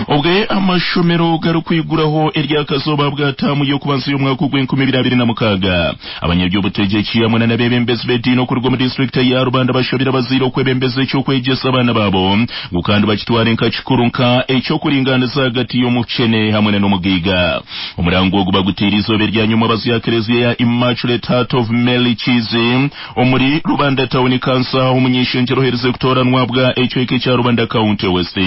Obwe amashomero garikwiguraho eryakazooba bwa taamu y'okubanza y'omwaka ogw'enkumi ibiri abiri na mukaaga. Abanyaby'obutegyeki hamwe na n'abeebembezi b'ediini okuruga omu disiturikiti ya Rubanda bashabire abazaire okwebembeza eky'okwegyesa abaana baabo ngu kandi bakitware nka kikuru nka eky'okuringaaniza ahagati y'omukyene hamwe na n'omugaiga. Omurango ogu bagutiire eizooba eryanyuma abazya Klezia ya Immaculate Heart of Mary Kiizi omuri Rubanda Town Council ahu omuny'eishengyero oherize kutooranwa bwa ekicweka ekya Rubanda County West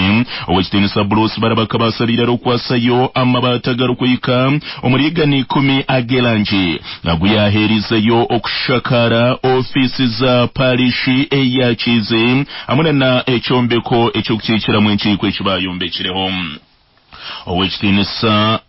Ow'ekitiinisa Bruce Barabaka baasabiire arikukwasayo amabaati agarikuhika omuri 110 ag'erangi agu yaaheerizeyo okushakaara ofiisi za parishi eya Kiizi hamwe na ekyombeko eky'okukiikiramu enkiiko eki baayombekireho. Ow'ekitiinisa.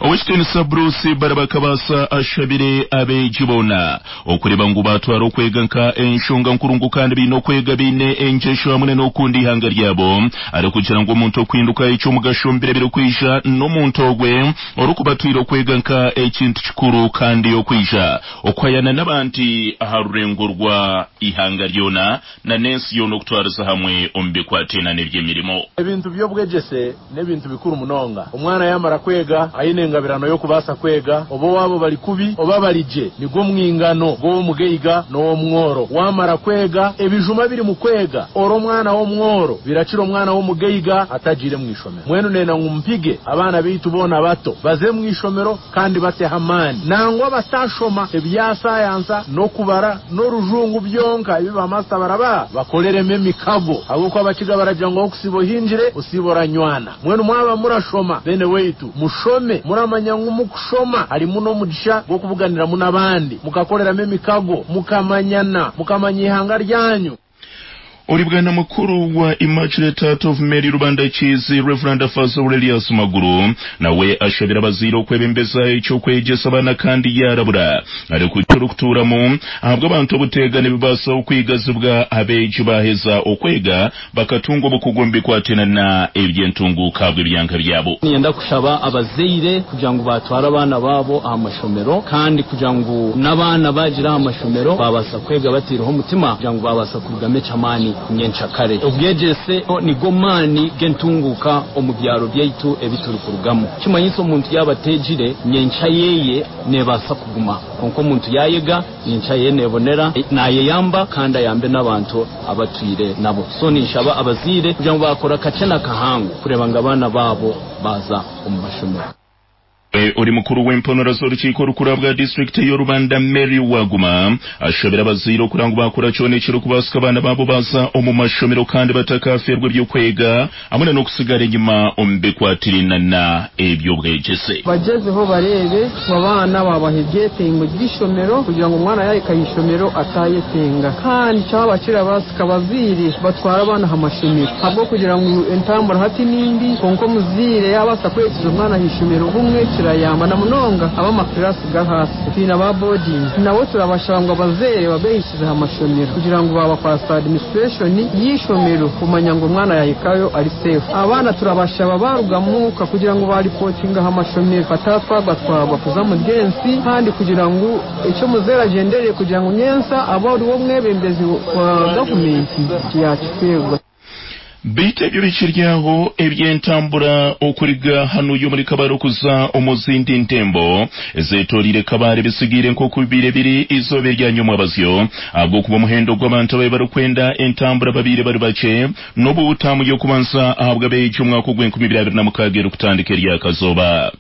Ow'ekitiinisa Bruce Barabakabaasa ashabire abeegi boona okureeba ngu baatwara okwega nka enshonga nkuru ngu kandi baine okwega baine engyesho hamwe n'okukunda eihanga ryabo arikugira ngu omuntu okuhinduka eky'omugasho omu biro ebirikwija n'omuntu ogwe orikuba atwire okwega nka ekintu kikuru kandi okwija okuhayana n'abandi aha rurengo rwa ihanga ryona na n'ensi yoona okutwariza hamwe omu bikwataine n'eby'emirimo. Ebintu by'obwegyese n'ebintu bikuru munonga. Omwana yaamara kwega, aine engabirano y'okubaasa kwega, oba owaabo bari kubi oba bari gye. Nigwo mwingano gw'ow'omugaiga n'ow'omworo. Waamara kwega, ebijuma ebiri mu kwega ori omwana w'omworo birakira omwana w'omugaiga atagiire mu ishomero. Mbwenu nenda ngu mpige abaana baitu boona bato baze mu ishomero kandi bateho amaani. Nangwa batashoma ebya sayansa n'okubara n'orujungu byonka ebi ba masita barabaha, bakoreremu emikago. Ahabw'okuba Abakiga baragira ngu ahokusiiba ohingire, osiiba oranywana. Mbwenu mwaba murashoma beene waitu, mushome muramanya ngu mukushoma harimu n'omugisha gw'okubuganiramu n'abandi, mukakoreramu emikago, mukamanyana, mukamanya eihanga ryanyu. Ori Bwana Mukuru wa Immaculate Heart of Mary Rubanda Kiizi, Rev. Faaza Aurelius Maguru nawe ashabire abazaire okwebembeza eky'okwegyesa abaana kandi yaarabura arikugira orikutuuramu ahabw'abantu obuteega nibibaasa okwigazibwa abeegi baaheza okwega bakatunga obukugu omu bikwataine na eby'entunguuka ahabw'ebyanga byabo. Niinyenda kushaba abazaire kugira ngu baatware abaana baabo aha mashomero kandi kugira ngu n'abaana baagira aha mashomero baabaasa kwega bataireho omutima kugira ngu baabaasa kurugamu eky'amaani nyencakare. Obwegyese nigo maani g'entunguuka omu byaro byaitu ebi turikurugamu. Kimanyisa omuntu yaaba ateegire, nyenkya yeye neebaasa kuguma. Kwonka omuntu yaayega, nyenkya yeye neebonera, naayeyamba kandi ayambe n'abantu abu atwire nabo. So ninshaba abazaire kugira ngu baakora kakye na kahango kureeba ngu abaana baabo baaza omu mashomero. Ori mukuru w'emponora z'orukiiko orukuru ahabwa disiturikiti ey'Orubanda Mary Waguma ashabire abazaire okura ngu baakora kyona ekirikubaasika abaana baabo baaza omu mashomero kandi batakafeerwa eby'okwega hamwe na n'okusigara enyima omu bikwatiraine na eby'obwegyese. Bagyezeho bareebe ngu abaana baabaha ebyetengo by'eishomero kugira ngu omwana yaahika aha ishomero ataayetenga. Kandi kyaba kirabaasika abazaire batware abaana aha mashomero ahabw'okugira ngu entambura hati ni mbi kwonka omuzaire yaabaasa kuheekyeza omwana aha ishomero bumwe kirayamba na munonga ab'amakiraasi g'ahaasi. Twine aba boodingi nabo turabashaba ngu abazaire babeehikize aha mashomero kugira ngu baabakwasa administration y'eishomero kumanya ngu omwana yaahikayo ari safe. Abaana turabashaba baaruga muuka kugira ngu baaripootinga aha mashomero bataatwagwatwagwa kuza omuri ensi kandi kugira ngu eki omuzaire agyendereire kugira ngu nyentsya abe oriwe omwebembezi wa gavumenti yaakifeerwa. Beitu ebyo bikiri aho, eby'entambura okuriga hanuya omuri Kabale okuza omu zindi ntembo ezetoreire Kabale bisigaire nk'oku bibaire biri eizooba erya nyomwabazyo ahabw'okuba omuhendo gw'abantu ababaire barikwenda entambura babaire bari bakye n'obu taamu y'okubanza ahabw'abeegi omwaka ogw'enkumi ibiri abiri na mukaaga erikutandika eryakazooba.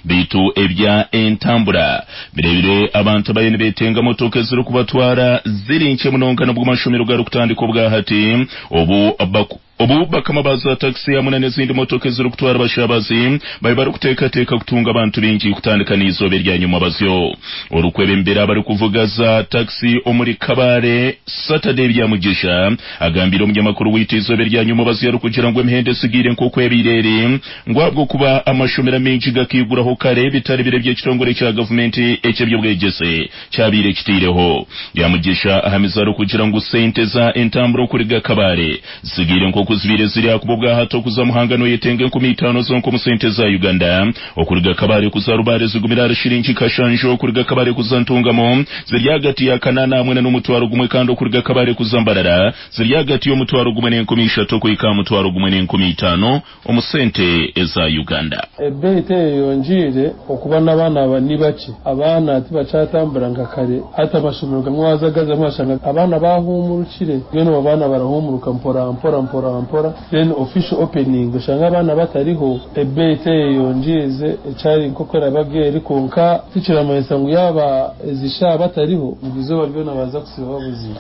Beitu ebya entambura bireebire abantu abayo nibetenga motoka ezirikubatwara ziri nkye munonga nabwo amashomero garikutandika obwahati obu obu bakama ba za takisi hamwe na n'ezindi motoka ezirikutwara abashabazi babe barikuteekateeka kutunga abantu baingi kutandika n'eizooba erya nyomwabazyo. Orikwebembera abarikuvuga za takisi omuri Kabale, Saturday Byamugisha agambiire omunyamakuru waitu eizooba erya nyomwabazyo arikugira ngu emihendo esigaire nk'oku ebaire eri ngu ahabw'okuba amashomero amaingi gakaiguraho kare bitari biro eby'ekitongore kya gavumenti eky'eby'obwegyese kyabaire kitaireho. Byamugisha ahamize arikugira ngu sente za entambura okuriga Kabale zitsigaire nk'oku. Nk'oku zibaire ziri ahakuba obwahati okuza Muhanga noyetenga 5,000 zonka omu sente za Uganda. Okuruga Kabale kuza Rubare zigumire ahari shiringi kashanju, okuruga Kabale kuza Ntungamo ziri ahagati ya kanaana hamwe na n'omutwaro gumwe kandi okuruga Kabale kuza Mbarara ziri ahagati y'omutwaro gumwe n'enkumi ishatu okuhika aha mutwaro gumwe n'enkumi itaano omu sente eza Uganda. Ebeeyi teyeyongyeire okuba n'abaana aba ni bakye. Abaana tibakyatambura nka kare. Hati amashomero gamwe waaza gazamu washanga abaana baahumurukire. Mbwenu obu abaana barahumuruka mpora mpora mpora mpora then official opening oshange abaana batariho. Ebeeyi teyeyongyeize ekyari nk'oku erabaga eri kwonka tikiramanyisa ngu yaaba ezi shaaha batariho ngu eizooba ryona baaza kusiiba babuzire.